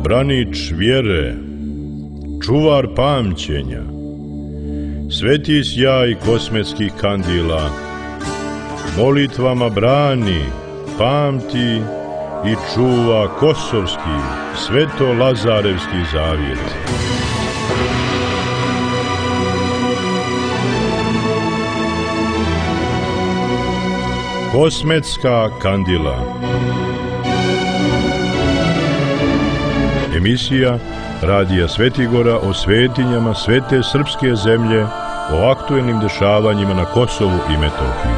branič vjere, čuvar pamćenja, sveti sjaj kosmetskih kandila, molitvama brani, pamti i čuva kosovski, sveto-lazarevski zavjet. Kosmetska kandila. Emisija Radija Svetigora o svetinjama svete srpske zemlje, o aktuelnim dešavanjima na Kosovu i Metohiji.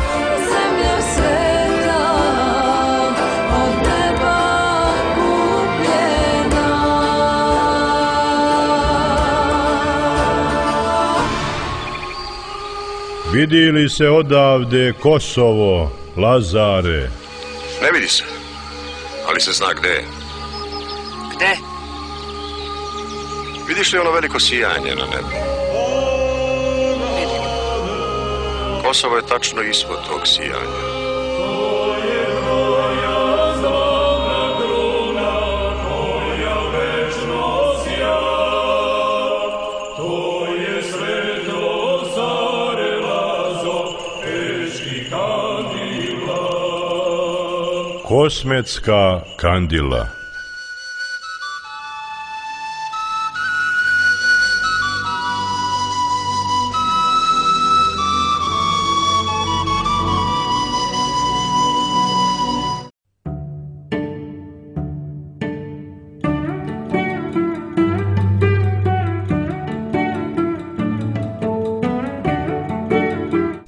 Vidi li se odavde Kosovo, Lazare? Ne vidi se, ali se zna gde je. Gde? Vidiš li ono veliko sijanje na nebu? Vidim. Kosovo je tačno ispod tog sijanja. Kosmetska kandila.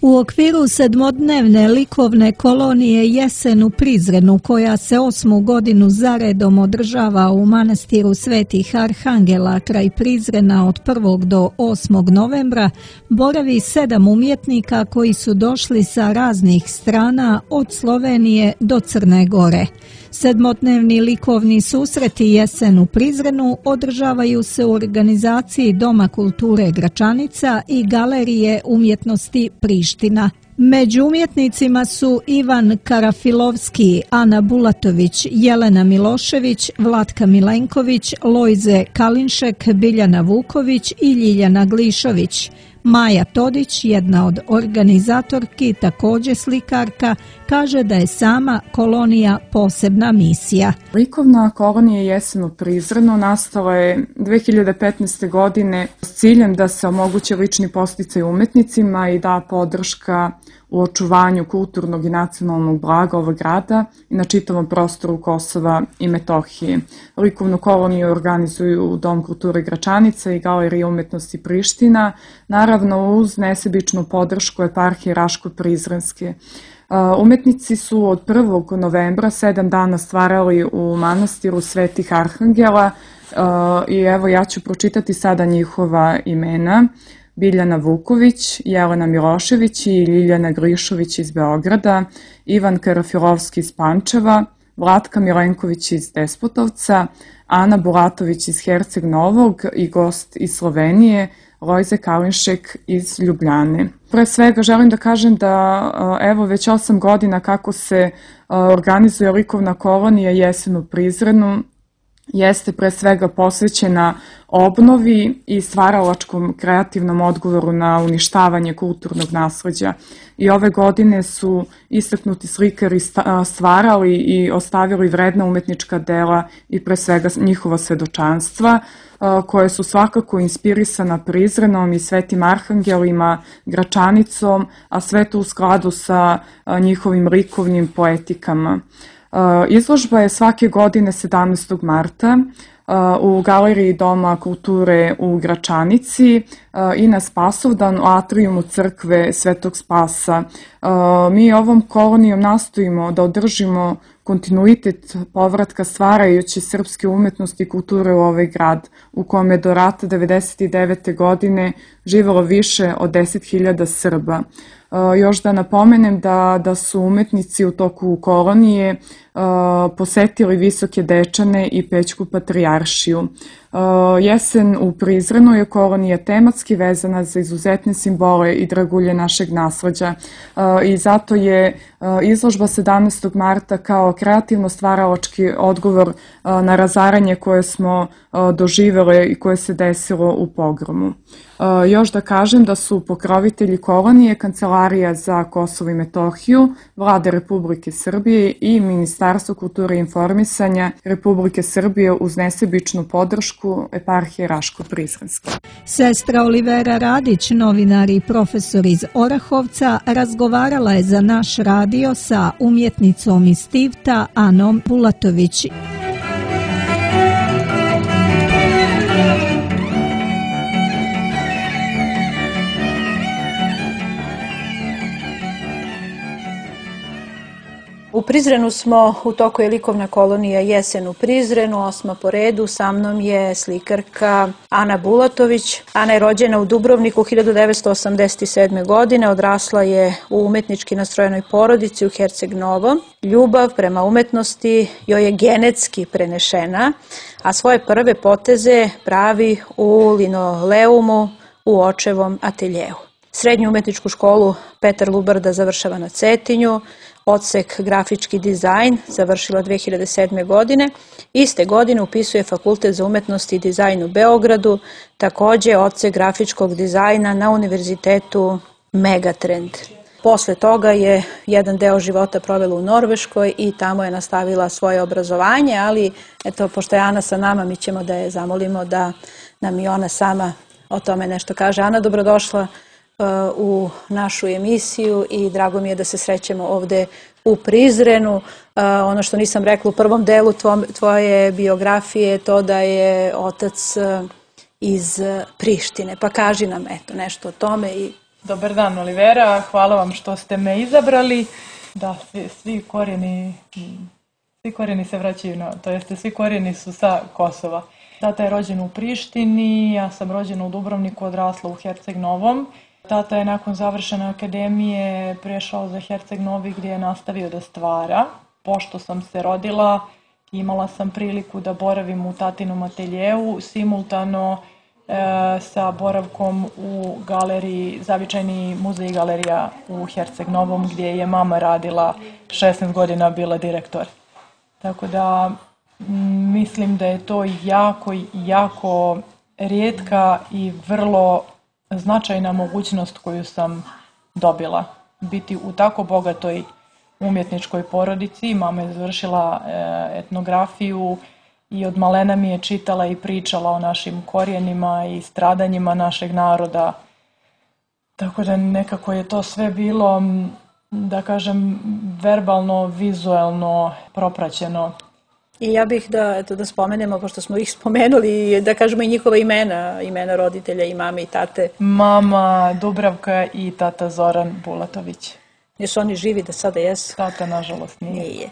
U okviru sedmodnevne likovne kolonije Jesen u Prizrenu, koja se 8. godinu zaredom održava u manastiru Svetih Arhangela kraj Prizrena od 1. do 8. novembra, boravi 7 umjetnika koji su došli sa raznih strana od Slovenije do Crne Gore. Sedmodnevni likovni susreti Jesen u Prizrenu održavaju se u organizaciji Doma kulture Gračanica i Galerije umjetnosti Priština. Među umjetnicima su Ivan Karafilovski, Ana Bulatović, Jelena Milošević, Vlatka Milenković, Lojze Kalinšek, Biljana Vuković i Ljiljana Glišović. Maja Todić, jedna od organizatorki, također slikarka, kaže da je sama kolonija posebna misija. Likovna kolonija Jesen u Prizrenu nastala je 2015. godine s ciljem da se omogući lični podsticaj umetnicima i da podrška u očuvanju kulturnog i nacionalnog blaga ovog grada i na čitavom prostoru Kosova i Metohije. Likovnu koloniju organizuju Dom kulture Gračanica i Galerija umjetnosti Priština, naravno uz nesebičnu podršku eparhije Raško-Prizrenske. Umetnici su od 1. novembra 7 dana stvarali u manastiru Svetih Arhangela i evo ja ću pročitati sada njihova imena. Biljana Vuković, Jelena Milošević i Ljiljana Glišović iz Beograda, Ivan Karafilovski iz Pančeva, Vlatka Milenković iz Despotovca, Ana Bulatović iz Herceg Novog i gost iz Slovenije, Lojze Kalinšek iz Ljubljane. Pre svega želim da kažem da evo već 8 godina kako se organizuje likovna kolonija Jesen u Prizrenu, jeste pre svega posvećena obnovi i stvaralačkom kreativnom odgovoru na uništavanje kulturnog nasleđa. I ove godine su istaknuti slikari stvarali i ostavili vredna umetnička dela i pre svega njihova svedočanstva, koje su svakako inspirisana Prizrenom i Svetim Arhangelima, Gračanicom, a sve to u skladu sa njihovim likovnim poetikama. Izložba je svake godine 17. marta u Galeriji Doma kulture u Gračanici i na Spasovdan u atrijumu crkve Svetog Spasa. Mi ovom kolonijom nastojimo da održimo kontinuitet povratka stvarajući srpske umetnosti i kulture u ovaj grad, u kome je do rata 1999. godine živelo više od 10.000 Srba. Još da napomenem da su umetnici u toku kolonije posetili Visoke Dečane i Pećku patrijaršiju. Jesen u Prizrenu je kolonija tematski vezana za izuzetne simbole i dragulje našeg nasleđa i zato je izložba 17. marta kao kreativno-stvaralački odgovor na razaranje koje smo doživele i koje se desilo u pogromu. Još da kažem da su pokrovitelji kolonije Kancelarija za Kosovo i Metohiju, Vlade Republike Srbije i Ministarstvo kulture i informisanja Republike Srbije uz nesebičnu podršku eparhije Raško-Prizrenske. Sestra Olivera Radić, novinar i profesor iz Orahovca, razgovarala je za naš radio sa umjetnicom iz Tivta Anom Bulatović. U Prizrenu smo, u toku je likovna kolonija Jesen u Prizrenu, 8. po redu. Sa mnom je slikarka Ana Bulatović. Ana je rođena u Dubrovniku 1987. godine, odrasla je u umetnički nastrojenoj porodici u Herceg Novom. Ljubav prema umetnosti joj je genetski prenešena, a svoje prve poteze pravi u linoleumu u očevom ateljeu. Srednju umetničku školu Petar Lubarda završava na Cetinju, odsek grafički dizajn završila 2007. godine. Iste godine upisuje Fakultet za umetnost i dizajn u Beogradu, takođe odsek grafičkog dizajna na Univerzitetu Megatrend. Posle toga je jedan deo života provela u Norveškoj i tamo je nastavila svoje obrazovanje, ali eto, pošto je Ana sa nama, mi ćemo da je zamolimo da nam i ona sama o tome nešto kaže. Ana, dobrodošla u našu emisiju i drago mi je da se srećemo ovde u Prizrenu. Ono što nisam rekla u prvom delu tvoje biografije je to da je otac iz Prištine. Pa kaži nam eto nešto o tome. Dobar dan, Olivera. Hvala vam što ste me izabrali. Da, svi korijeni se vraćaju, to jeste svi korijeni su sa Kosova. Tata je rođen u Prištini, ja sam rođena u Dubrovniku, odrasla u Herceg Novom. Tata je nakon završene akademije prešao za Herceg Novi gdje je nastavio da stvara. Pošto sam se rodila, imala sam priliku da boravim u tatinom ateljeu, simultano sa boravkom u galeriji, zavičajni muzej i galerija u Herceg Novom gdje je mama radila 16 godina, bila direktor. Tako da mislim da je to jako rijetka i vrlo značajna mogućnost koju sam dobila. Biti u tako bogatoj umjetničkoj porodici. Mama je završila etnografiju i od malena mi je čitala i pričala o našim korijenima i stradanjima našeg naroda. Tako da nekako je to sve bilo, da kažem, verbalno, vizuelno propraćeno. I ja bih da spomenemo, pošto smo ih spomenuli, da kažemo i njihova imena roditelja i mame i tate. Mama Dubravka i tata Zoran Bulatović. Jesu oni živi da sada jesu? Tata, nažalost, nije. Nije.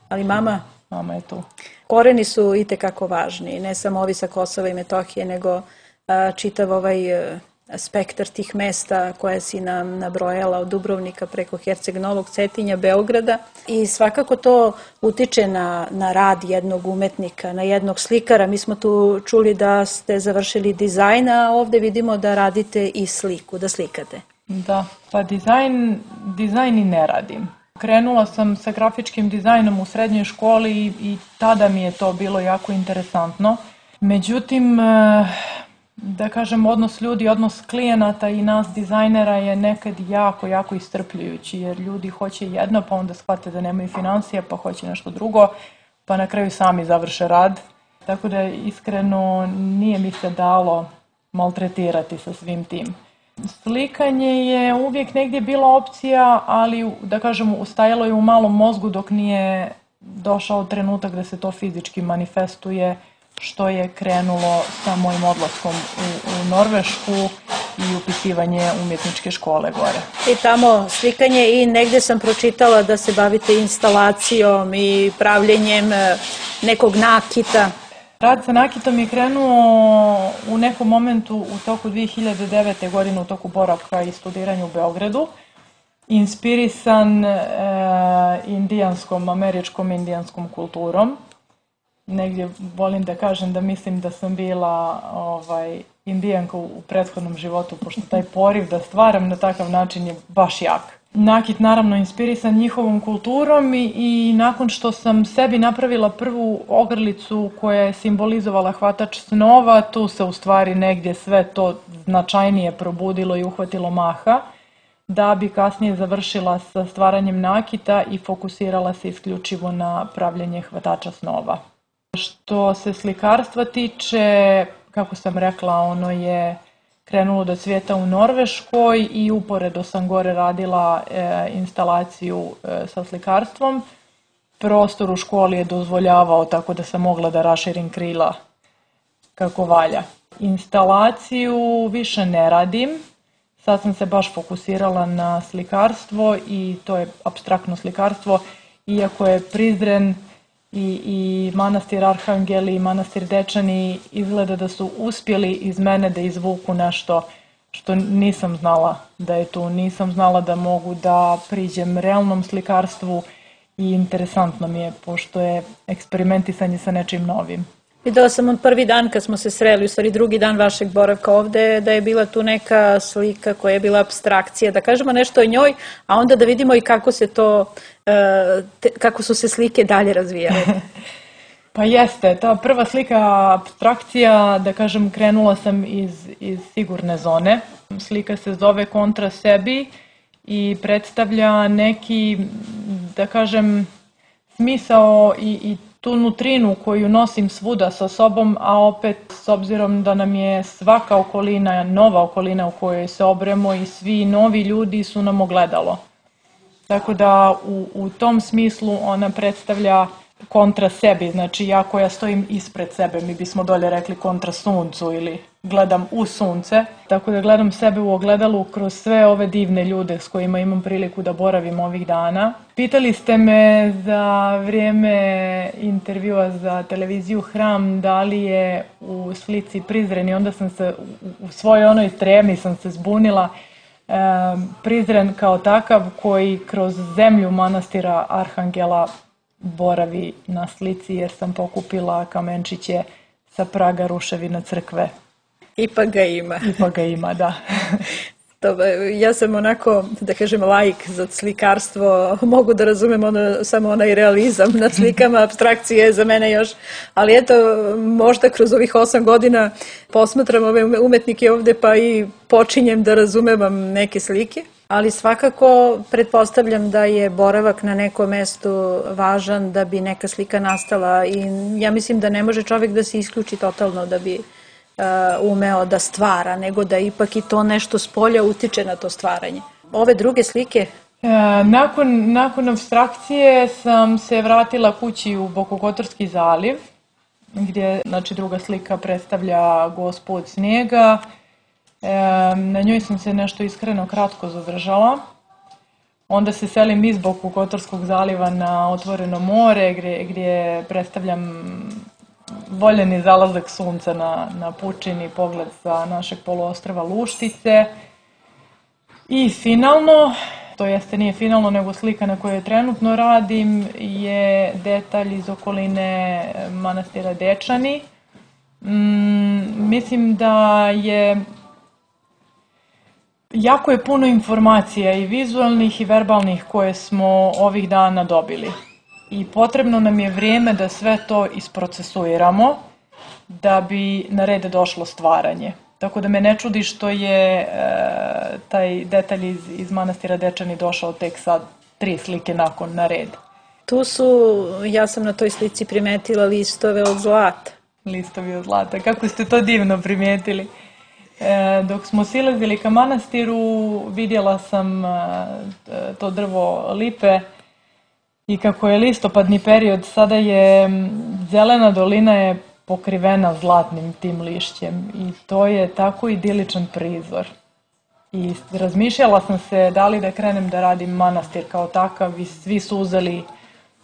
Ali mama? Mama je tu. Koreni su itekako važni, ne samo ovi sa Kosova i Metohije, nego čitav ovaj spektar tih mesta koje si nam nabrojala od Dubrovnika preko Herceg Novog, Cetinja, Beograda. I svakako to utiče na rad jednog umetnika, na jednog slikara. Mi smo tu čuli da ste završili dizajn, a ovde vidimo da radite i sliku, da slikate. Da, pa dizajn i ne radim. Krenula sam sa grafičkim dizajnom u srednjoj školi i tada mi je to bilo jako interesantno. Međutim, da kažem, odnos ljudi, odnos klijenata i nas dizajnera je nekad jako iscrpljujući, jer ljudi hoće jedno, pa onda shvate da nemaju financija, pa hoće nešto drugo, pa na kraju sami završe rad. Tako da iskreno nije mi se dalo maltretirati sa svim tim. Slikanje je uvijek negdje bila opcija, ali da kažem, ustajalo je u malom mozgu dok nije došao trenutak da se to fizički manifestuje, što je krenulo sa mojim odlaskom u Norvešku i upisivanje umjetničke škole gore. I tamo slikanje i negdje sam pročitala da se bavite instalacijom i pravljenjem nekog nakita. Rad sa nakitom je krenuo u nekom momentu u toku 2009. godine, u toku boravka i studiranja u Beogradu, inspirisan američkom indijanskom kulturom. negdje volim da kažem da mislim da sam bila indijanka u prethodnom životu, pošto taj poriv da stvaram na takav način je baš jak. Nakit naravno inspirisan njihovom kulturom i nakon što sam sebi napravila prvu ogrlicu koja je simbolizovala hvatač snova, tu se u stvari negdje sve to značajnije probudilo i uhvatilo maha, da bi kasnije završila sa stvaranjem nakita i fokusirala se isključivo na pravljenje hvatača snova. Što se slikarstva tiče, kako sam rekla, ono je krenulo da cvijeta u Norveškoj i uporedo sam gore radila instalaciju sa slikarstvom. Prostor u školi je dozvoljavao, tako da sam mogla da raširim krila kako valja. Instalaciju više ne radim. Sad sam se baš fokusirala na slikarstvo i to je apstraktno slikarstvo, iako je Prizren i manastir Arhangeli i manastir Dečani izgleda da su uspjeli iz mene da izvuku nešto što nisam znala da je tu. Nisam znala da mogu da priđem realnom slikarstvu i interesantno mi je, pošto je eksperimentisanje sa nečim novim. Videla sam od prvi dan kad smo se sreli, u stvari drugi dan vašeg boravka ovde, da je bila tu neka slika koja je bila apstrakcija, da kažemo nešto o njoj, a onda da vidimo i kako se to, kako su se slike dalje razvijale. Pa jeste, ta prva slika apstrakcija, da kažem, krenula sam iz sigurne zone. Slika se zove Kontra sebi i predstavlja neki, da kažem, smisao i tu nutrinu koju nosim svuda sa sobom, a opet s obzirom da nam je svaka okolina nova okolina u kojoj se obremo i svi novi ljudi su nam ogledalo. Tako da u tom smislu ona predstavlja kontra sebi, znači ja koja stojim ispred sebe, mi bismo dolje rekli kontra suncu ili gledam u sunce, tako da gledam sebe u ogledalu kroz sve ove divne ljude s kojima imam priliku da boravim ovih dana. Pitali ste me za vrijeme intervjua za televiziju Hram da li je u slici Prizren i onda sam se u svojoj onoj tremi sam se zbunila. Prizren kao takav koji kroz zemlju manastira Arhangela boravi na slici jer sam pokupila kamenčiće sa praga ruševina crkve. Ipak ga ima. Ipak ga ima, da. Ja sam onako, da kažem, laik za slikarstvo, mogu da razumem samo onaj realizam na slikama, apstrakcije je za mene još, ali eto, možda kroz ovih 8 godina posmatram ove umetnike ovde pa i počinjem da razumevam neke slike. Ali svakako pretpostavljam da je boravak na nekom mestu važan da bi neka slika nastala i ja mislim da ne može čovjek da se isključi totalno da bi umeo da stvara, nego da ipak i to nešto s polja utiče na to stvaranje. Ove druge slike? Nakon apstrakcije sam se vratila kući u Bokokotorski zaliv, gdje znači, druga slika predstavlja Gospu od snijega. Na njoj sam se nešto iskreno kratko zadržala. Onda se selim iz Bokokotorskog zaliva na otvoreno more gdje predstavljam voljeni zalazak sunca na pučini, pogled sa našeg poluostrva Luštice. I finalno, to jeste nije finalno nego slika na kojoj trenutno radim, je detalj iz okoline manastira Dečani. Mislim da je jako je puno informacija i vizualnih i verbalnih koje smo ovih dana dobili. I potrebno nam je vrijeme da sve to isprocesuiramo da bi na red došlo stvaranje. Tako da me ne čudi što je taj detalj iz manastira Dečani došao tek sad 3 slike nakon na red. Tu su, ja sam na toj slici primetila listove od zlata. Listovi od zlata, kako ste to divno primijetili. Dok smo silazili ka manastiru, vidjela sam to drvo lipe i kako je listopadni period, sada je zelena dolina je pokrivena zlatnim tim lišćem i to je tako idiličan prizor. I razmišljala sam se da li da krenem da radim manastir kao takav i svi su uzeli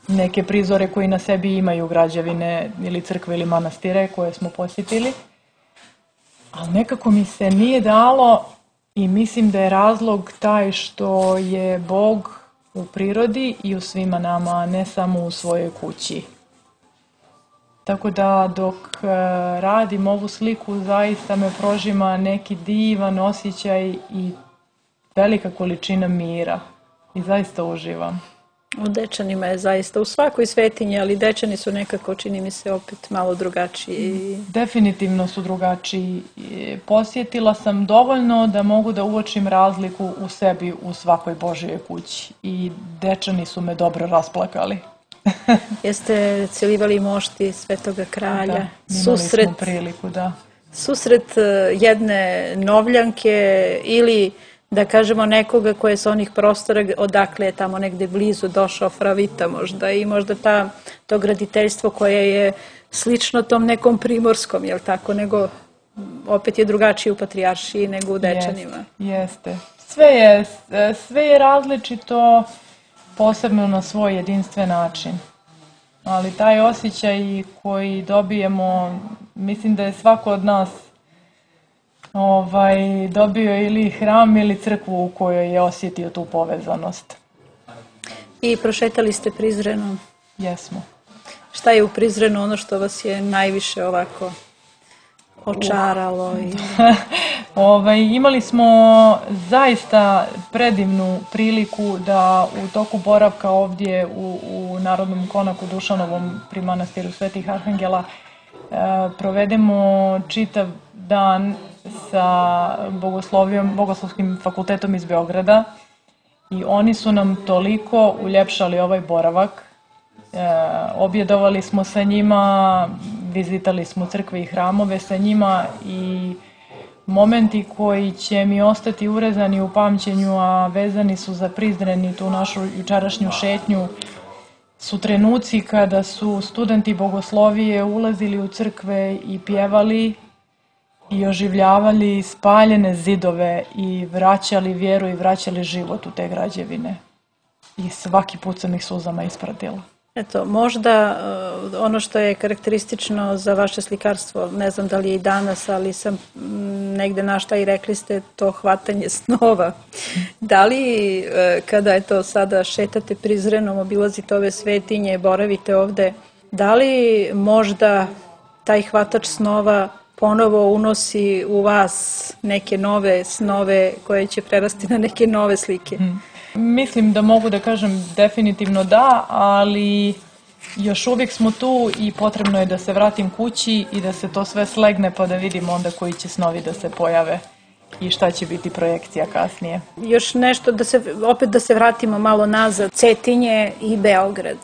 neke prizore koji na sebi imaju građevine ili crkve ili manastire koje smo posjetili. Ali nekako mi se nije dalo i mislim da je razlog taj što je Bog u prirodi i u svima nama, a ne samo u svojoj kući. Tako da dok radim ovu sliku zaista me prožima neki divan osjećaj i velika količina mira i zaista uživam. U Dečanima je zaista u svakoj svetinji, ali Dečani su nekako, čini mi se, opet malo drugačiji. Definitivno su drugačiji. Posjetila sam dovoljno da mogu da uočim razliku u sebi u svakoj Božjoj kući i Dečani su me dobro rasplakali. Jeste celivali mošti Svetoga Kralja? Da, imali smo priliku, da. Susret jedne Novljanke ili da kažemo nekoga koje je sa onih prostora odakle je tamo negde blizu došao, Fravita možda, i možda to graditeljstvo koje je slično tom nekom primorskom, jel tako, nego opet je drugačije u Patrijaršiji nego u Dečanima. Jeste. Sve je različito, posebno na svoj jedinstven način. Ali taj osjećaj koji dobijemo, mislim da je svako od nas dobio ili hram ili crkvu u kojoj je osjetio tu povezanost. I prošetali ste Prizrenom? Jesmo. Šta je u Prizrenu ono što vas je najviše ovako očaralo? Imali smo zaista predivnu priliku da u toku boravka ovdje u Narodnom konaku Dušanovom pri manastiru Svetih Arhangela provedemo čitav dan sa Bogoslovskim fakultetom iz Beograda i oni su nam toliko uljepšali ovaj boravak. Objedovali smo sa njima, vizitali smo crkve i hramove sa njima i momenti koji će mi ostati urezani u pamćenju, a vezani su za Prizren i tu našu jučerašnju šetnju, su trenuci kada su studenti bogoslovije ulazili u crkve i pjevali i oživljavali spaljene zidove i vraćali vjeru i vraćali život u te građevine. I svaki put sam ih suzama ispratila. Eto, možda ono što je karakteristično za vaše slikarstvo, ne znam da li je i danas, ali sam negde našla i rekli ste to hvatanje snova. Da li kada je to sada šetate Prizrenom, obilazite ove svetinje, boravite ovde, da li možda taj hvatač snova ponovo unosi u vas neke nove snove koje će prerasti na neke nove slike? Mislim da mogu da kažem definitivno da, ali još uvijek smo tu i potrebno je da se vratim kući i da se to sve slegne pa da vidimo onda koji će snovi da se pojave i šta će biti projekcija kasnije. Još nešto, opet da se vratimo malo nazad, Cetinje i Beograd.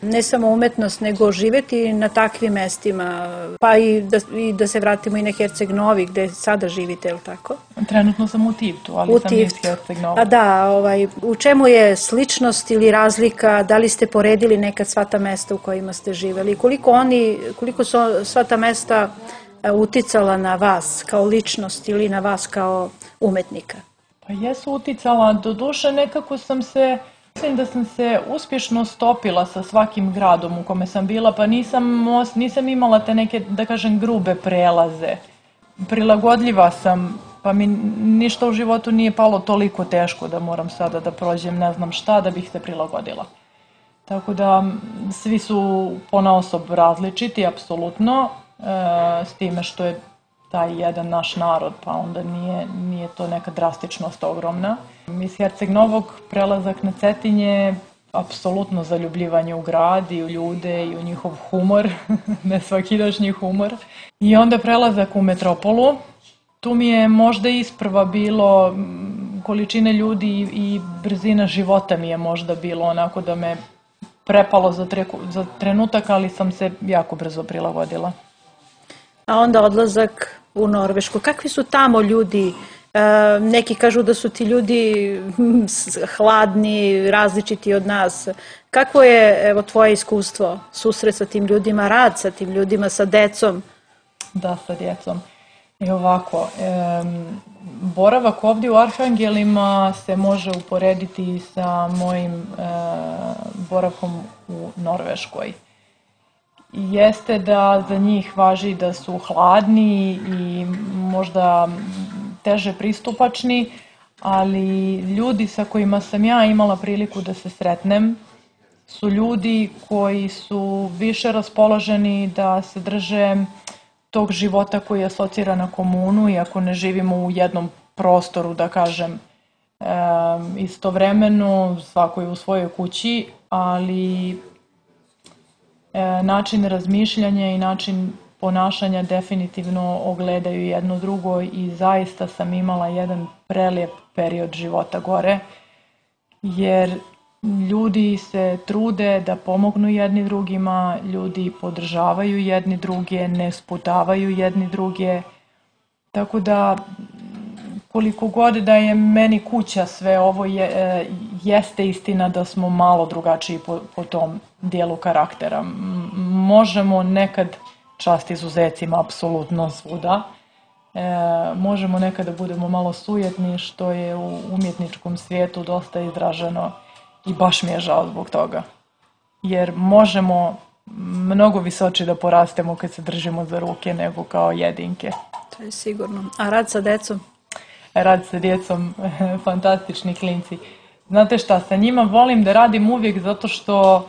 Ne samo umetnost, nego živeti na takvim mestima, pa i da se vratimo i na Herceg Novi, gde sada živite, je li tako? Trenutno sam u Tivtu, ali sam iz Herceg Nova. A da, u čemu je sličnost ili razlika, da li ste poredili nekad sva ta mesta u kojima ste živeli? Koliko su sva ta mesta uticala na vas kao ličnost ili na vas kao umetnika? Pa jesu uticala, doduše nekako mislim da sam se uspješno stopila sa svakim gradom u kome sam bila, pa nisam imala te neke, da kažem, grube prelaze. Prilagodljiva sam, pa mi ništa u životu nije palo toliko teško da moram sada da prođem ne znam šta da bih se prilagodila. Tako da svi su ponaosob različiti, apsolutno, s time što je taj jedan naš narod, pa onda nije to neka drastičnost ogromna. Iz Herceg Novog prelazak na Cetinje, apsolutno zaljubljivanje u grad i u ljude i u njihov humor, nesvakidašnji humor. I onda prelazak u metropolu. Tu mi je možda isprva bilo količine ljudi i brzina života mi je možda bilo onako da me prepalo za trenutak, ali sam se jako brzo prilagodila. A onda odlazak u Norvešku. Kakvi su tamo ljudi? Neki kažu da su ti ljudi hladni, različiti od nas. Kakvo je, evo, tvoje iskustvo? Susret sa tim ljudima, rad sa tim ljudima, sa decom? Da, sa djecom. I ovako, boravak ovdje u Arhangelima se može uporediti sa mojim boravkom u Norveškoj. Jeste da za njih važi da su hladni i možda teže pristupačni, ali ljudi sa kojima sam ja imala priliku da se sretnem su ljudi koji su više raspoloženi da se drže tog života koji asocira na komunu, iako ne živimo u jednom prostoru, da kažem, istovremeno, svako je u svojoj kući, ali način razmišljanja i način ponašanja definitivno ogledaju jedno drugo i zaista sam imala jedan prelijep period života gore, jer ljudi se trude da pomognu jedni drugima, ljudi podržavaju jedni druge, ne sputavaju jedni druge, tako da koliko god da je meni kuća sve ovo jeste istina da smo malo drugačiji po tom dijelu karaktera. Možemo nekad, čast izuzecima apsolutno svuda, možemo nekad da budemo malo sujetni, što je u umjetničkom svijetu dosta izraženo i baš mi je žao zbog toga. Jer možemo mnogo visoče da porastemo kad se držimo za ruke nego kao jedinke. To je sigurno. A rad sa decom? Rad sa djecom, fantastični klinci. Znate šta, sa njima volim da radim uvijek zato što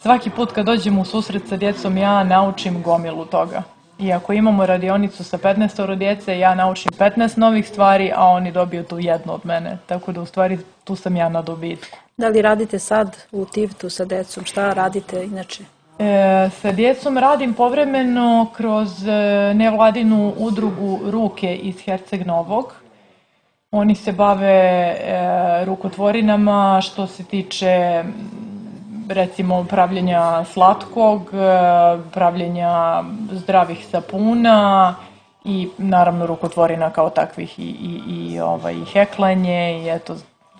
svaki put kad dođem u susret sa djecom ja naučim gomilu toga. I ako imamo radionicu sa 15 djece, ja naučim 15 novih stvari, a oni dobiju tu jednu od mene. Tako da u stvari tu sam ja na dobitku. Da li radite sad u Tivtu sa decom? Šta radite inače? Sa djecom radim povremeno kroz nevladinu udrugu Ruke iz Herceg Novog. Oni se bave rukotvorinama što se tiče recimo pravljenja slatkog, pravljenja zdravih sapuna i naravno rukotvorina kao takvih i heklanje i eto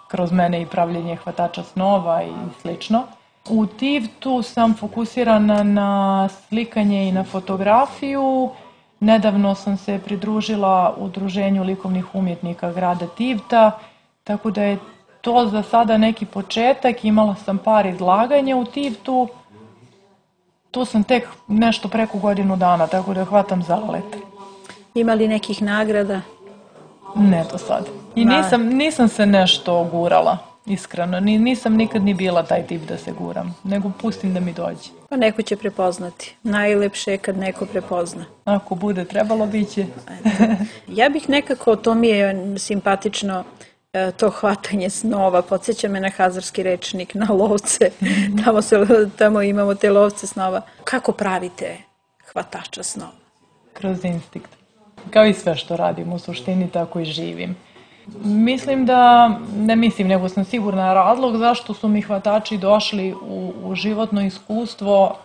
kroz mene i pravljenje hvatača snova i slično. U Tivtu sam fokusirana na slikanje i na fotografiju. Nedavno sam se pridružila Udruženju likovnih umjetnika grada Tivta, tako da je to za sada neki početak. Imala sam par izlaganja u Tivtu. Tu sam tek nešto preko godinu dana, tako da hvatam zalet. Ima li nekih nagrada? Ne do sad. I nisam se nešto gurala, iskreno. Nisam nikad ni bila taj tip da se guram, nego pustim da mi dođe. Pa neko će prepoznati. Najlepše je kad neko prepozna. Ako bude trebalo, bit će. Ja bih nekako, to mi je simpatično, to hvatanje snova, podsjeća me na hazarski rečnik, na lovce. Tamo imamo te lovce snova. Kako pravite hvatača snova? Kroz instinkt. Kao i sve što radim, u suštini tako i živim. Mislim da, ne mislim, nego sam sigurna razlog zašto su mi hvatači došli u životno iskustvo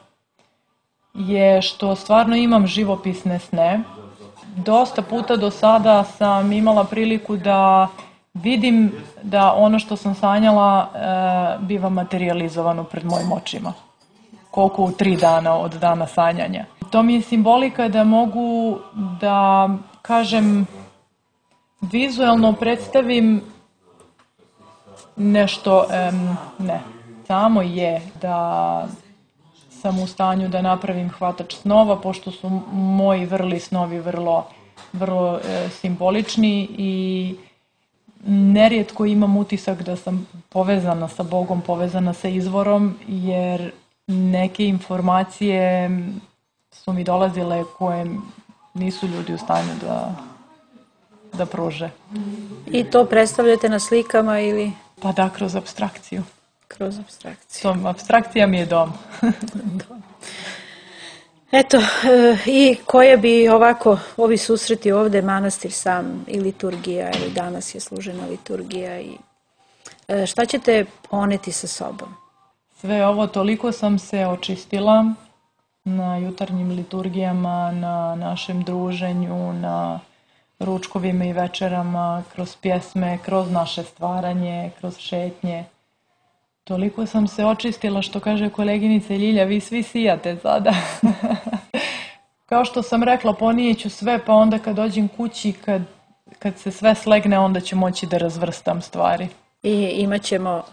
je što stvarno imam živopisne sne. Dosta puta do sada sam imala priliku da vidim da ono što sam sanjala biva materializovano pred mojim očima. Koliko u 3 dana od dana sanjanja. To mi je simbolika da mogu da, kažem, vizualno predstavim nešto, samo je da sam u stanju da napravim hvatač snova, pošto su moji vrli snovi vrlo simbolični i nerijetko imam utisak da sam povezana sa Bogom, povezana sa izvorom, jer neke informacije su mi dolazile koje nisu ljudi u stanju da pruže. I to predstavljate na slikama ili? Pa da, kroz apstrakciju. Kroz apstrakciju. Apstrakcija mi je dom. Eto, i koje bi ovako, ovi susreti ovde, manastir sam i liturgija, i danas je služena liturgija, i šta ćete poneti sa sobom? Sve ovo, toliko sam se očistila na jutarnjim liturgijama, na našem druženju, na ručkovima i večerama, kroz pjesme, kroz naše stvaranje, kroz šetnje. Toliko sam se očistila, što kaže koleginica Ljilja, vi svi sijate sada. Kao što sam rekla, ponijeću sve, pa onda kad dođem kući, kad se sve slegne, onda ću moći da razvrstam stvari. I imat ćemo,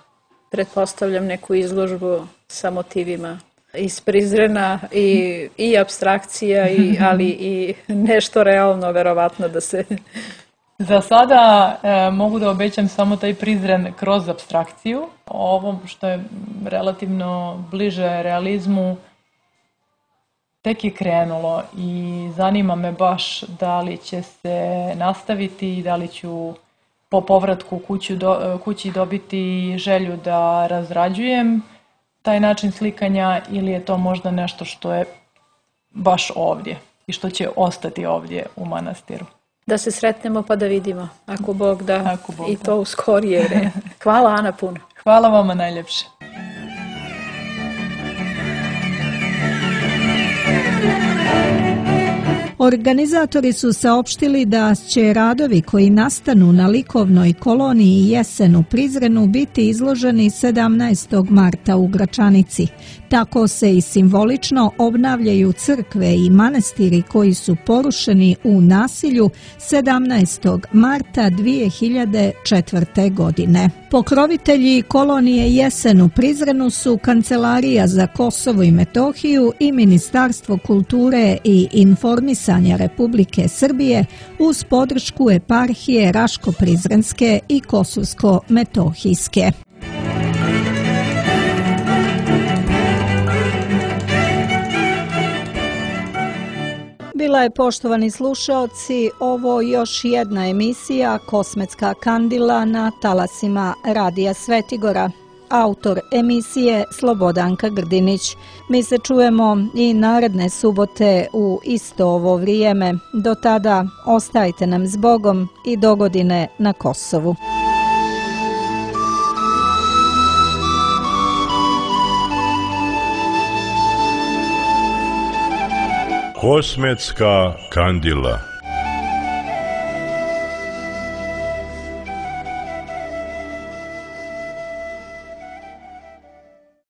pretpostavljam, neku izložbu sa motivima iz Prizrena i apstrakcija, ali i nešto realno, verovatno, da se Za sada mogu da obećam samo taj Prizren kroz apstrakciju. Ovo što je relativno bliže realizmu tek je krenulo i zanima me baš da li će se nastaviti i da li ću po povratku kući dobiti želju da razrađujem taj način slikanja ili je to možda nešto što je baš ovdje i što će ostati ovdje u manastiru. Da se sretnemo pa da vidimo, ako Bog da, i to u skorije vreme. Hvala Ana puno. Hvala vama najljepše. Organizatori su saopštili da će radovi koji nastanu na likovnoj koloniji Jesen u Prizrenu biti izloženi 17. marta u Gračanici. Tako se i simbolično obnavljaju crkve i manastiri koji su porušeni u nasilju 17. marta 2004. godine. Pokrovitelji kolonije Jesen u Prizrenu su Kancelarija za Kosovo i Metohiju i Ministarstvo kulture i informisanja Republike Srbije uz podršku eparhije Raško-Prizrenske i Kosovsko-Metohijske. Bila je, poštovani slušaoci, ovo još jedna emisija Kosmetska kandila na talasima Radija Svetigora. Autor emisije Slobodanka Grdinić. Mi se čujemo i naredne subote u isto ovo vrijeme. Do tada ostajte nam s Bogom i dogodine na Kosovu. Kosmetska kandila.